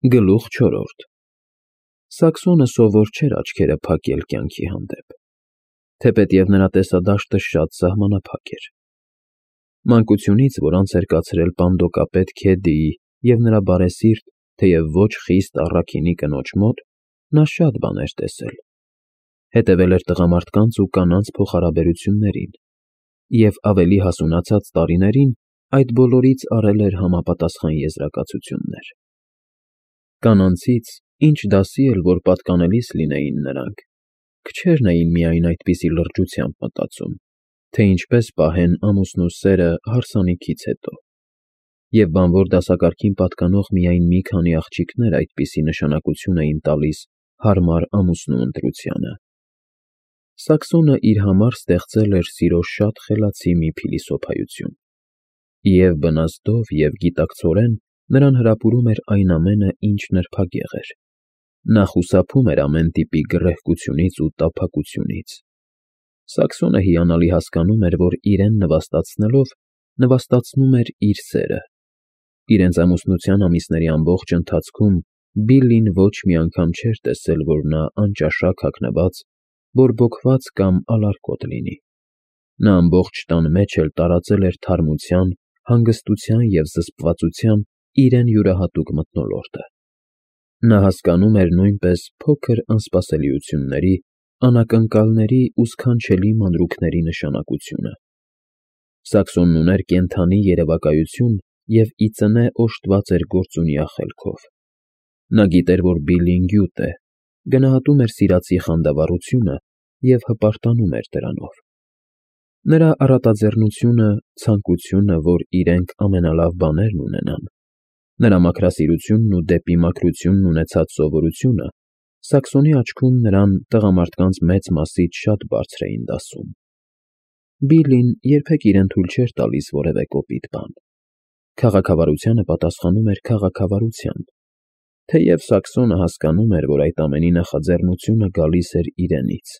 Գլուխ 4 Սաքսոնը սովոր չէր աչքերը փակել կյանքի հանդեպ, թեպետև նրա տեսադաշտը շատ սահմանափակ էր։ Մանկությունից, որ անց էր կացրել պանդոկապետ Քեդդիի և նրա բարեսիրտ, թեև ոչ խիստ առաքինի կնոջ մոտ, նա շատ բաներ տեսել, հետևել էր տղամարդկանց ու կանանց փոխհարաբերություններին և ավելի հասունացած տարիներին այդ բոլորից առել էր համապատասխան եզրակացություններ։ Կանանցից, ինչ դասի էլ որ պատկանելիս լինեին նրանք, քչերն էին միայն այդպիսի լրջությամբ մտածում, թե ինչպես պահեն ամուսնու սերը հարսանիքից հետո, և բանվոր դասակարգին պատկանող միայն մի քանի աղջիկներ այդպիսի նշանակություն էին տալիս հարմար ամուսնու ընտրությանը։ Սաքսոնը իր համար ստեղծել էր սիրո շատ խելացի մի փիլիսոփայություն, և բնազդով և գիտակցորեն նրան հրապուրում էր այն ամենը, ինչ նրբագեղ էր։ Նա խուսափում էր ամեն տիպի գռեհկությունից ու տափակությունից։ Սաքսոնը հիանալի հասկանում էր, որ իրեն նվաստացնելով նվաստացնում էր իր սերը։ Իրենց ամուսնության ամիսների ամբողջ ընթացքում Բիլլին ոչ մի անգամ չէր տեսել, որ նա անճաշակ հագնված, բորբոքված կամ ալարկոտ լինի։ Նա ամբողջ տան մեջ էլ տարածել էր թարմության, հանգստության և զսպվածության իրեն յուրահատուկ մթնոլորտը։ Նա հասկանում էր նույնպես փոքր անսպասելիությունների, անակնկալների ու սքանչելի մանրուքների նշանակությունը։ Սաքսոնն ուներ կենդանի երևակայություն և ի ծնե օժտված էր գործունյա խելքով։ Նա գիտեր, որ Բիլլին գյուտ է, գնահատում էր սիրածի խանդավառությունը և հպարտանում էր դրանով։ Նրա առատաձեռնությունը, ցանկությունը, որ իրենք ամենալավ բաներն ունենան, նրա մաքրասիրությունն ու դեպի մաքրությունն ունեցած սովորությունը Սաքսոնի աչքում նրան տղամարդկանց մեծ մասից շատ բարձր էին դասում։ Բիլլին երբեք իրեն թույլ չէր տալիս որևէ կոպիտ բան։ Քաղաքավարությանը պատասխանում էր քաղաքավարությամբ, թեև Սաքսոնը հասկանում էր, որ այդ ամենի նախաձեռնությունը գալիս էր իրենից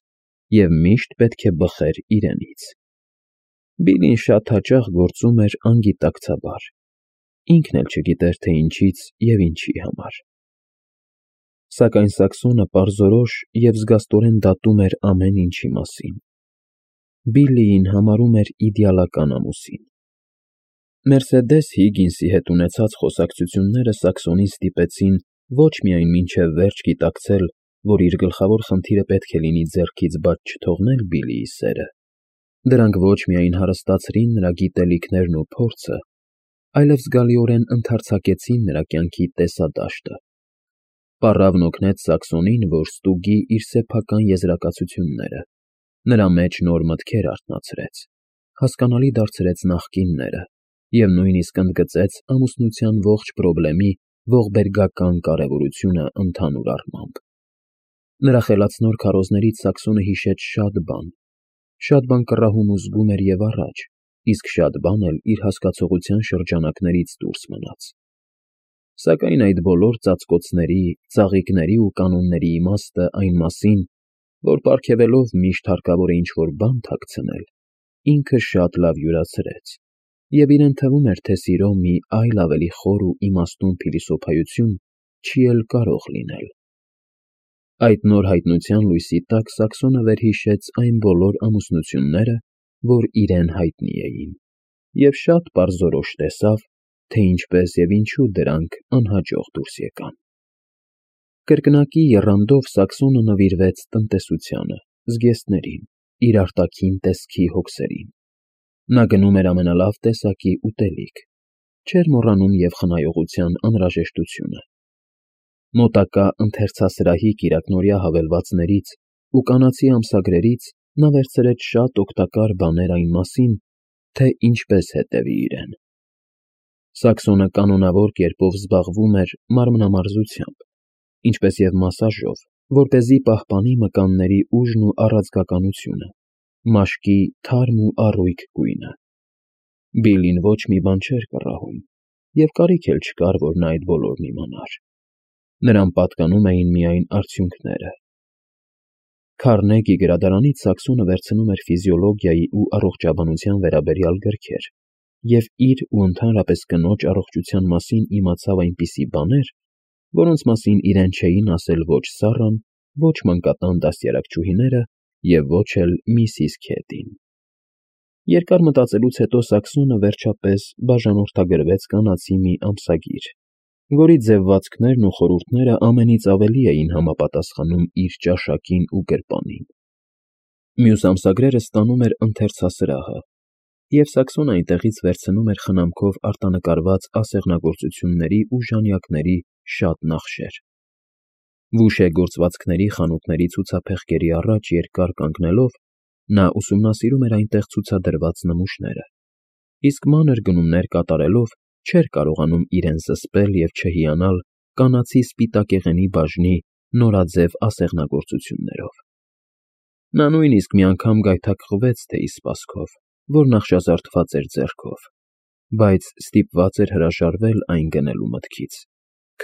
և միշտ պետք է բխեր իրենից։ Բիլլին շատ հաճախ գործում էր անգիտակցաբար, ինքն էլ չգիտեր, թե ինչից և ինչի համար։ Սակայն Սաքսոնը պարզորոշ և զգաստորեն դատում էր ամեն ինչի մասին։ Բիլլիին համարում էր իդեալական ամուսին։ Մերսեդես Հիգինսի հետ ունեցած խոսակցությունները Սաքսոնին ստիպեցին ոչ միայն մինչև վերջ գիտակցել, որ իր գլխավոր խնդիրը պետք է լինի ձեռքից բաց չթողնել Բիլլիի սերը, դրանք ոչ միայն հարստացրին նրա գիտելիքներն ու փորձը, այլև զգալիորեն ընդարձակեցին նրա կյանքի տեսադաշտը։ Պառավն օգնեց Սաքսոնին, որ ստուգի իր սեփական եզրակացությունները, նրա մեջ նոր մտքեր արթնացրեց, հասկանալի դարձրեց նախկինները և նույնիսկ ընդգծեց ամուսնության ողջ պրոբլեմի ողբերգական կարևորությունը ընդհանուր առմամբ։ Նրա խելացնոր քարոզներից Սաքսոնը հիշեց շատ բան կռահում ու զգում էր և առաջ, իսկ շատ բան էլ իր հասկացողության շրջանակներից դուրս մնաց։ Սակայն այդ բոլոր ծածկոցների, ծաղիկների ու կանոնների իմաստը այն մասին, որ պարգևելով միշտ հարկավոր է ինչ-որ բան թաքցնել, ինքը շատ լավ յուրացրեց, և իրեն թվում էր, թե սիրո մի այլ ավելի խոր ու իմաստուն փիլիսոփայություն չի էլ կարող լինել։ Այդ նոր հայտնության լույսի տակ Սաքսոնը վերհիշեց այն բոլոր ամուսնությունները, որ իրեն հայտնի էին, և շատ պարզորոշ տեսավ, թե ինչպես և ինչու դրանք անհաջող դուրս եկան։ Կրկնակի եռանդով Սաքսոնը նվիրվեց տնտեսությանը, զգեստներին, իր արտաքին տեսքի հոգսերին։ Նա գնում էր ամենալավ տեսակի ուտելիք, չէր մոռանում և խնայողության անհրաժեշտությունը։ Մոտակա ընթերցասրահի կիրակնօրյա հավելվածներից ու կանացի ամսագրերից նա վերցրեց շատ օգտակար բաներ այն մասին, թե ինչպես հետևի իրեն։ Սաքսոնը կանոնավոր կերպով զբաղվում էր մարմնամարզությամբ, ինչպես և մասաժով, որպեսզի պահպանի մկանների ուժն ու առաձգականությունը, մաշկի թարմ ու առույգ գույնը։ Բիլլին ոչ մի բան չէր կռահում, և կարիք էլ չկար, որ նա այդ բոլորն իմանար։ Նրան պատկանում էին միայն արդյունքները։ Քարնեգի գրադարանից Սաքսոնը վերցնում էր ֆիզիոլոգիայի ու առողջաբանության վերաբերյալ գրքեր և իր ու ընդհանրապես կնոջ առողջության մասին իմացավ այնպիսի բաներ, որոնց մասին իրեն չէին ասել ոչ Սառան, ոչ մանկատան դաստիարակչուհիները և ոչ էլ Միսիս Քեթին։ Երկար մտածելուց հետո Սաքսոնը վերջապես բաժանորդագրվեց կանացի մի ամսագիր, որի ձևվածքներն ու խորհուրդները ամենից ավելի էին համապատասխանում իր ճաշակին ու գրպանին։ Մյուս ամսագրերը ստանում էր ընթերցասրահը, և Սաքսոնը այնտեղից վերցնում էր խնամքով արտանկարված ասեղնագործությունների ու ժանյակների շատ նախշեր։ Վուշե գործվածքների խանութների ցուցափեղկերի առաջ երկար կանգնելով՝ նա ուսումնասիրում էր այնտեղ ցուցադրված նմուշները, իսկ մանր գնումներ կատարելով չէր կարողանում իրեն զսպել և չհիանալ կանացի սպիտակեղենի բաժնի նորաձև ասեղնագործություններով։ Նա նույնիսկ մի անգամ գայթակղվեց թեյի սպասքով, որ նախշազարդված էր ձեռքով, բայց ստիպված էր հրաժարվել այն գնելու մտքից,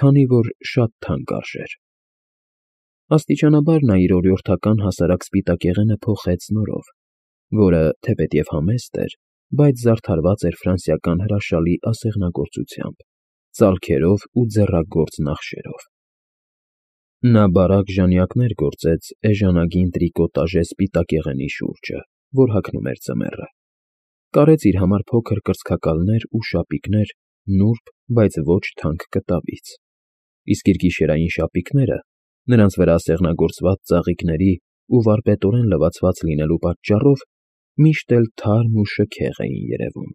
քանի որ շատ թանկ արժեր։ Աստիճանաբար նա իր օրիորդական հասարակ սպիտակեղենը փոխեց նորով, որը, թեպետև համեստ էր, բայց զարդարված էր ֆրանսիական հրաշալի ասեղնագործությամբ, ծալքերով ու ձեռագործ նախշերով։ Նա բարակ ժանյակներ գործեց էժանագին տրիկոտաժե սպիտակեղենի շուրջը, որ հագնում էր ձմեռը, կարեց իր համար փոքր կրծքակալներ ու շապիկներ նուրբ, բայց ոչ թանկ կտավից, իսկ իր գիշերային շապիկները, նրանց վրա ասեղնագործված ծաղիկների ու վարպետորեն լվացված լինելու պատճառով, միշտ էլ թարմ ու շքեղ էին երևում։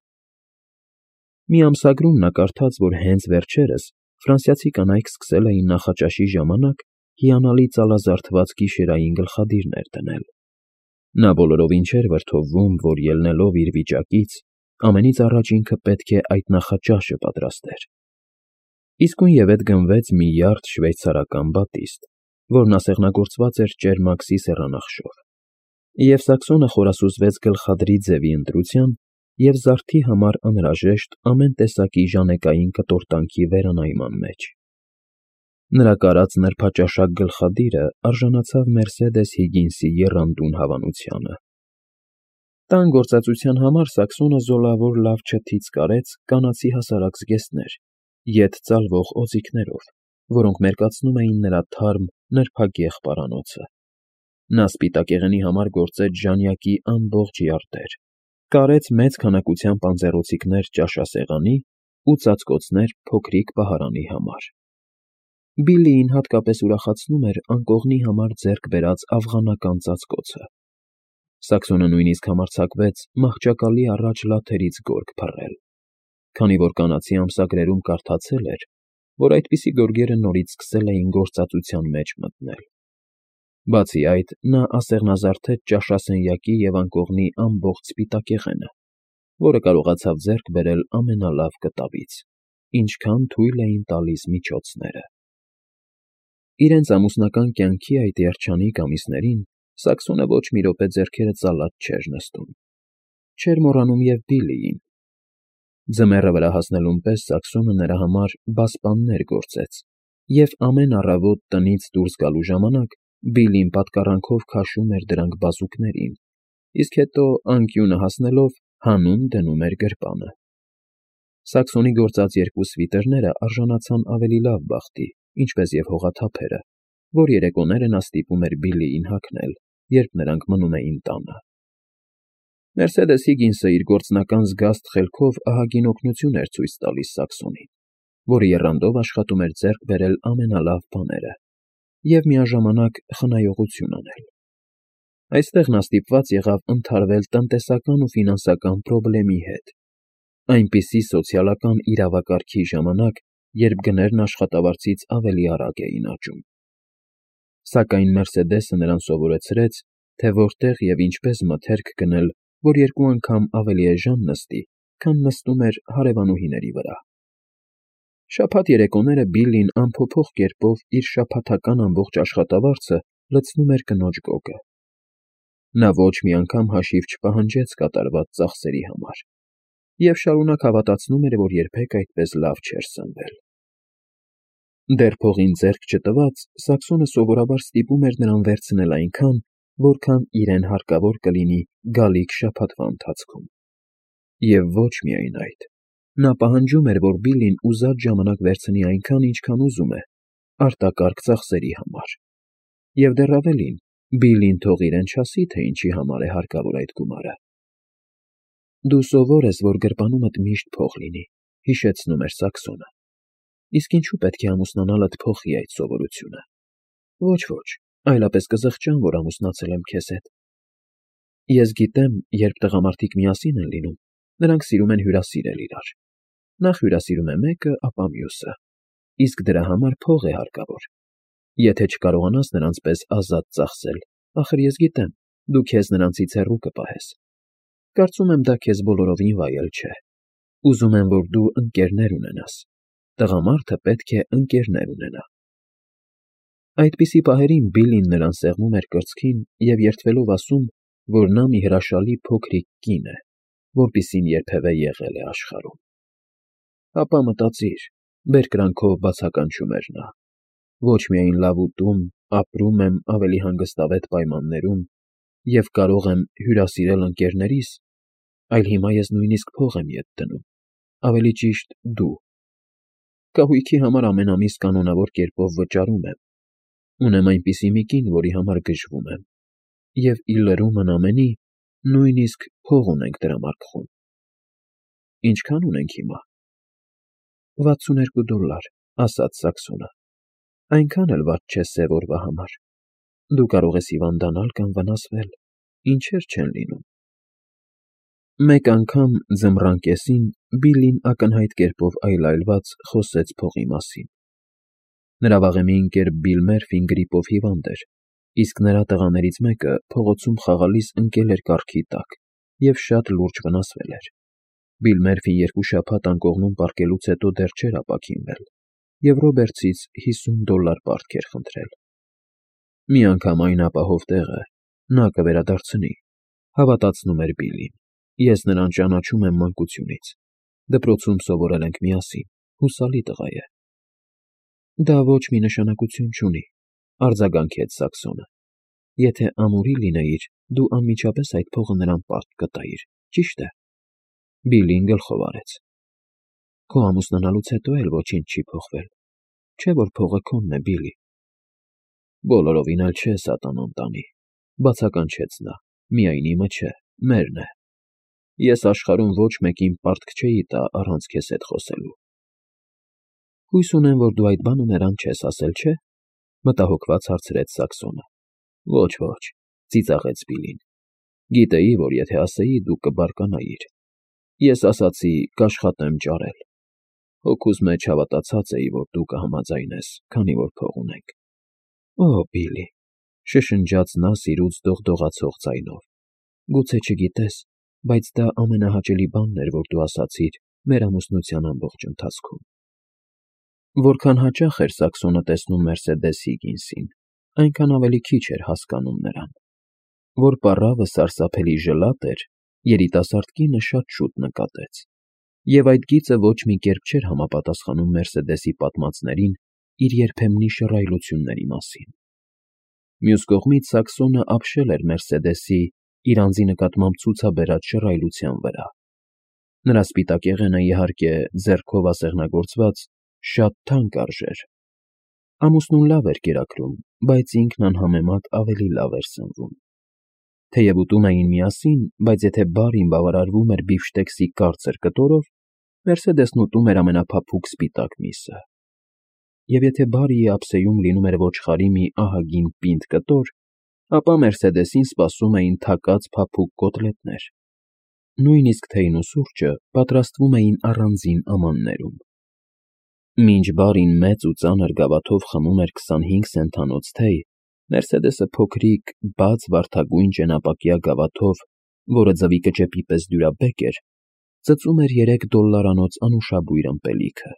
Մի ամսագրում նա կարդաց, որ հենց վերջերս ֆրանսիացի կանայք սկսել էին նախաճաշի ժամանակ հիանալի ծալազարդված գիշերային գլխադիրներ դնել։ Նա բոլորովին չէր վրդովվում, որ ելնելով իր վիճակից, ամենից առաջ ինքը պետք է այդ նախաճաշը պատրաստեր։ Իսկույնևեթ գնվեց մի յարդ շվեյցարական բատիստ, որն ասեղնագործված էր ճերմաքսի սեռանախշով, և Սաքսոնը խորասուզվեց գլխադրի ձևի ընտրության և զարդի համար անհրաժեշտ ամեն տեսակի ժանեկային կտորտանքի վերանայման մեջ։ Նրա կարած նրբաճաշակ գլխադիրը արժանացավ Մերսեդես Հիգինսի եռանդուն հավանությանը։ Տան գործածության համար Սաքսոնը զոլավոր լավ չթից կարեց կանացի հասարակ զգեստներ, ետ ծալվող օձիքներով, որոնք մերկացնում էին նրա թարմ, նրբագեղ պարանոցը։ Նա սպիտակեղենի համար գործեց ժանյակի ամբողջ յարդեր, կարեց մեծ քանակությամբ անձեռոցիկներ ճաշասեղանի ու ծածկոցներ փոքրիկ պահարանի համար։ Բիլլիին հատկապես ուրախացնում էր անկողնի համար ձեռք բերած աֆղանական ծածկոցը։ Սաքսոնը նույնիսկ համարձակվեց մահճակալի առաջ լաթերից գորգ փռել, քանի որ կանացի ամսագրերում կարդացել էր, որ այդպիսի գորգերը նորից սկսել էին գործածության մեջ մտնել։ Բացի այդ, նա ասեղնազարդեց ճաշասենյակի և անկողնի ամբողջ սպիտակեղենը, որը կարողացավ ձեռք բերել ամենալավ կտավից, ինչքան թույլ էին տալիս միջոցները։ Իրենց ամուսնական կյանքի այդ երջանիկ ամիսներին Սաքսոնը ոչ մի րոպե ձեռքերը ծալած չէր նստում։ Չէր մոռանում և Բիլլիին։ Ձմեռը վրա հասնելուն պես Սաքսոնը նրա համար բասպաններ գործեց, և ամեն առավոտ տնից դուրս գալու ժամանակ Բիլլին պատկառանքով քաշում էր դրանք բազուկներին, իսկ հետո, անկյունը հասնելով, հանում դնում էր գրպանը։ Սաքսոնի գործած երկու սվիտրները արժանացան ավելի լավ բախտի, ինչպես և հողաթափերը, որ երեկոները նա ստիպում էր Բիլլիին հագնել, երբ նրանք մնում էին տանը։ Մերսեդես Հիգինսը իր գործնական զգաստ խելքով ահագին օգնություն էր ցույց տալիս Սաքսոնին, որը եռանդով աշխատում էր ձեռք բերել ամենալավ բաները և միաժամանակ խնայողություն անել։ Այստեղ նա ստիպված եղավ ընդհարվել տնտեսական ու ֆինանսական պրոբլեմի հետ, այնպիսի սոցիալական իրավակարգի ժամանակ, երբ գներն աշխատավարձից ավելի արագ էին աճում։ Սակայն Մերսեդեսը նրան սովորեցրեց, թե որտեղ և ինչպես մթերք գնել, որ երկու անգամ ավելի էժան նստի, քան նստում էր հարևանուհիների վրա։ Շաբաթ երեկոները Բիլլին անփոփոխ կերպով իր շաբաթական ամբողջ աշխատավարձը լցնում էր կնոջ գոգը։ Նա ոչ մի անգամ հաշիվ չպահանջեց կատարված ծախսերի համար և շարունակ հավատացնում էր, որ երբեք այդպես լավ չէր սնվել։ Դեռ փողին ձեռք չտված, Սաքսոնը սովորաբար ստիպում էր նրան վերցնել այնքան, որքան իրեն հարկավոր կլինի գալիք շաբաթվա ընթացքում։ Եվ ոչ միայն այդ։ Նա պահանջում էր, որ Բիլլին ուզած ժամանակ վերցնի այնքան, ինչքան ուզում է, արտակարգ ծախսերի համար։ Եվ դեռ ավելին, Բիլլին թող իրեն չասի, թե ինչի համար է հարկավոր այդ գումարը։ Դու սովոր ես, որ գրպանումդ միշտ փող լինի, հիշեցնում էր Սաքսոնը։ Իսկ ինչու պետք է ամուսնանալդ փոխի այդ սովորությունը։ Ոչ, այլապես կզղջամ, որ ամուսնացել եմ քեզ հետ։ Ես գիտեմ, երբ տղամարդիկ միասին են լինում, նրանք սիրում են հյուրասիրել իրար։ Նախ հյուրասիրում է մեկը, ապա մյուսը։ Իսկ դրա համար փող է հարկավոր։ Եթե չկարողանաս նրանց պես ազատ ծախսել, ախր ես գիտեմ, դու քեզ նրանցից հեռու կպահես։ Կարծում եմ դա քեզ բոլորովին վայել չէ։ Ուզում եմ, որ դու ընկերներ ունենաս։ Տղամարդը պետք է ընկերներ ունենա։ Այդպիսի պահերին Բիլլին նրան սեղմում էր կրծքին և երդվելով ասում, որ նա մի հրաշալի փոքրիկ կին է, որպիսին երբևէ եղել է աշխարհում։ Ապա մտածիր, բերկրանքով բացականչում էր նա։ Ոչ միայն լավ ուտում, ապրում եմ ավելի հանգստավետ պայմաններում և կարող եմ հյուրասիրել ընկերներիս, այլ հիմա ես նույնիսկ փող եմ ետ դնում, ավելի ճիշտ դու։ Կահույքի համար ամեն ամիս կանոնավոր կերպով վճարում եմ։ Ունեմ այնպիսի մի կին, որի համար գժվում եմ, և ի լրումն ամենի, նույնիսկ փող ունենք դրամարկղում։ Ինչքան ունենք հիմա։ $62, ասաց Սաքսոնը։ Այնքան էլ վատ չէ սև օրվա համար։ Դու կարող ես հիվանդանալ կամ վնասվել, ինչեր չեն լինում։ Մեկ անգամ ձմռան կեսին Բիլլին ակնհայտ կերպով այլայլված խոսեց փողի մասին։ Նրա վաղեմի ընկեր Բիլ Մերֆին գրիպով հիվանդ էր, իսկ նրա տղաներից մեկը փողոցում խաղալիս ընկել էր կառքի տակ և շատ լուրջ վնասվել էր։ Բիլ Մերֆին 2 շաբաթ անկողնում պառկելուց հետո դեռ չէր ապաքինվել և Ռոբերտսից $50 պարտք էր խնդրել։ Մի անգամ այն ապահով տեղը նա կվերադարձնի, հավատացնում էր Բիլլին։ Ես նրան ճանաչում եմ մանկությունից։ Դպրոցում սովորել ենք միասին, հուսալի տղա է։ Դա ոչ մի նշանակություն չունի, արձագանքեց Սաքսոնը։ Եթե ամուրի լինեիր, դու անմիջապես այդ փողը նրան պարտք կտայիր, ճիշտ է։ Բիլլին գլխով արեց։ Քո ամուսնանալուց հետո էլ ոչինչ չի փոխվել, չէ՞ որ փողը քոնն է, Բիլլի։ Բոլորովին էլ չէ, սատանան տանի, բացականչեց նա, միայն իմը չէ, մերն է։ Ես աշխարհում ոչ մեկին պարտք չէի տա առանց քեզ հետ խոսելու։ Հույս ունեմ, որ դու այդ բանը նրան չես ասել, չէ՞, մտահոգված հարցրեց Սաքսոնը։ Ոչ, ծիծաղեց Բիլլին։ Գիտեի, որ եթե ասեի, դու կբարկանայիր։ Ես ասացի կաշխատեմ ճարել։ Հոգուս մեջ հավատացած էի, որ դու կհամաձայնես, քանի որ փող ունենք։ Օ, Բիլլի, շշնջաց նա սիրուց դողդողացող ձայնով։ Գուցե չգիտես, բայց դա ամենահաճելի բանն էր, որ դու ասացիր մեր ամուսնության ամբողջ ընթացքում։ Որքան հաճախ էր Սաքսոնը տեսնում Մերսեդես Հիգինսին, այնքան ավելի քիչ էր հասկանում նրան։ Որ պառավը սարսափելի ժլատ էր, երիտասարդ կինը շատ շուտ նկատեց։ Եվ այդ գիծը ոչ մի կերպ չէր համապատասխանում Մերսեդեսի պատմածներին իր երբեմնի շռայլությունների մասին։ Մյուս կողմից Սաքսոնը ապշել էր Մերսեդեսի իր անձի նկատմամբ ցուցաբերած շռայլության վրա։ Նրա սպիտակ եղենը, իհարկե, ձեռքով ասեղնագործված, շատ թանկ արժեր։ Ամուսնուն լավ էր կերակրում, բայց ինքն անհամեմատ ավելի լավ էր սնվում։ Թեև ուտում էին միասին, բայց եթե բարին բավարարվում էր բիֆշտեքսի կարծր կտորով, Մերսեդեսն ուտում էր ամենափափուկ սպիտակ միսը։ Եվ եթե բարիի ափսեում լինում էր ոչխարի մի ահագին պինդ կտոր, ապա Մերսեդեսին սպասում էին թակած փափուկ կոտլետներ։ Նույնիսկ թեյն ու սուրճը պատրաստվում էին առանձին ամաններում։ Մինչ բարին մեծ ու ծանր գավաթով խմում էր 25 սենթանոց թեյ, Մերսեդեսը փոքրիկ, բաց վարդագույն ճենապակյա գավաթով, որը ձվի կճեպի պես դյուրաբեկ էր, ծծում էր $3 անուշաբույր ըմպելիքը։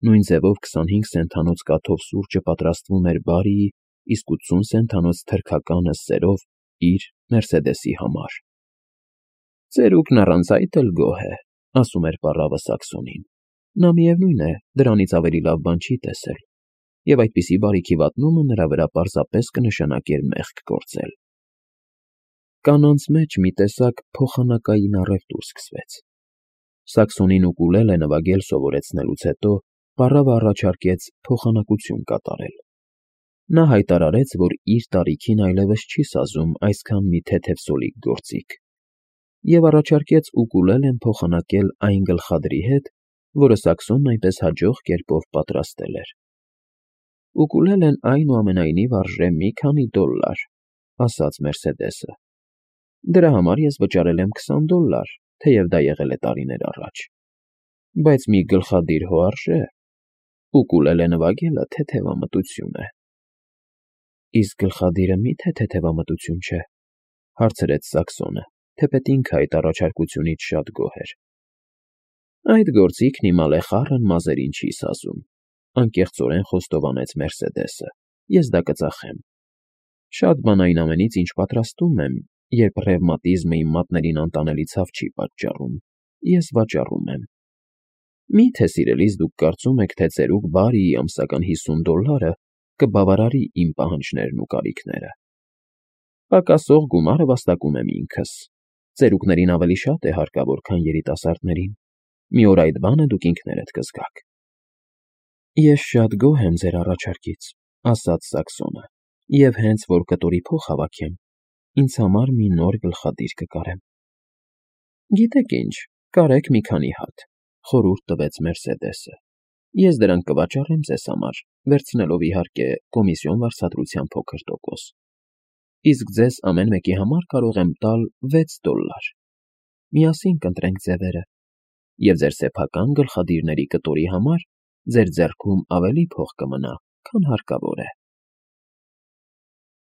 Նույն ձևով 25 սենթանոց կաթով սուրճը պատրաստվում էր բարիի, իսկ 80 սենթանոց թրքականը սերով իր Մերսեդեսի համար։ Ծերուկն առանց այդ էլ գոհ է, ասում էր պառավը Սաքսոնին։ Նա միևնույն է, դրանից ավելի լավ բան չի տեսել, և այդպիսի բարիքի վատնումը նրա վրա պարզապես կնշանակեր մեղք գործել։ Կանանց մեջ մի տեսակ փոխանակային առևտուր սկսվեց։ Սաքսոնին ուկուլելե նվագել սովորեցնելուց հետո պառավը առաջարկեց փոխանակություն կատարել։ Նա հայտարարեց, որ իր տարիքին այլևս չի սազում այսքան մի թեթև սոլիկ գործիք, և առաջարկեց ուկուլելեն փոխանակել այն գլխադրի հետ, որը Սաքսոնն այնպես հաջող կերպով պատրաստել էր։ «Ուկուլելեն այնուամենայնիվ արժե մի քանի $, ասաց Մերսեդեսը։ Դրա համար ես վճարել եմ $20, թեև դա եղել է տարիներ առաջ։ Բայց մի գլխադիր հո արժե։ Ուկուլելե նվագելը թեթևամտություն է»։ Իսկ գլխադիրը մի՞թե թեթևամտություն չէ, հարցրեց Սաքսոնը, թեպետ ինքը այդ առաջարկությունից շատ գոհ էր։ Այդ գործիքն իմ ալեխառն մազերին չի սազում, անկեղծորեն խոստովանեց Մերսեդեսը, ես դա կծախեմ։ Շատ բան այն ամենից, ինչ պատրաստում եմ, երբ ռևմատիզմը իմ մատներին անտանելի ցավ չի պատճառում, ես վաճառում եմ։ Մի՞թե սիրելիս դուք կարծում եք, թե ծերուկ Բարիի ամսական $50 կբավարարի իմ պահանջներն ու կարիքները։ Պակասող գումարը վաստակում եմ ինքս։ Ծերուկներին ավելի շատ է հարկավոր, քան երիտասարդներին։ Մի օր այդ բանը դուք ինքներդ կզգաք։ Ես շատ գոհ եմ ձեր առաջարկից, ասաց Սաքսոնը, և հենց որ կտորի փող հավաքեմ, ինձ համար մի նոր գլխադիր կկարեմ։ Գիտեք ինչ, կարեք մի քանի հատ, խորհուրդ տվեց Մերսեդեսը։ Ես դրանք կվաճառեմ ձեզ համար, վերցնելով իհարկե կոմիսիոն վարձատրության փոքր տոկոս։ Իսկ ձեզ ամեն մեկի համար կարող եմ տալ $6։ Միասին կընտրենք ձևերը, և ձեր սեփական գլխադիրների կտորի համար ձեր ձեռքում ավելի փող կմնա, քան հարկավոր է։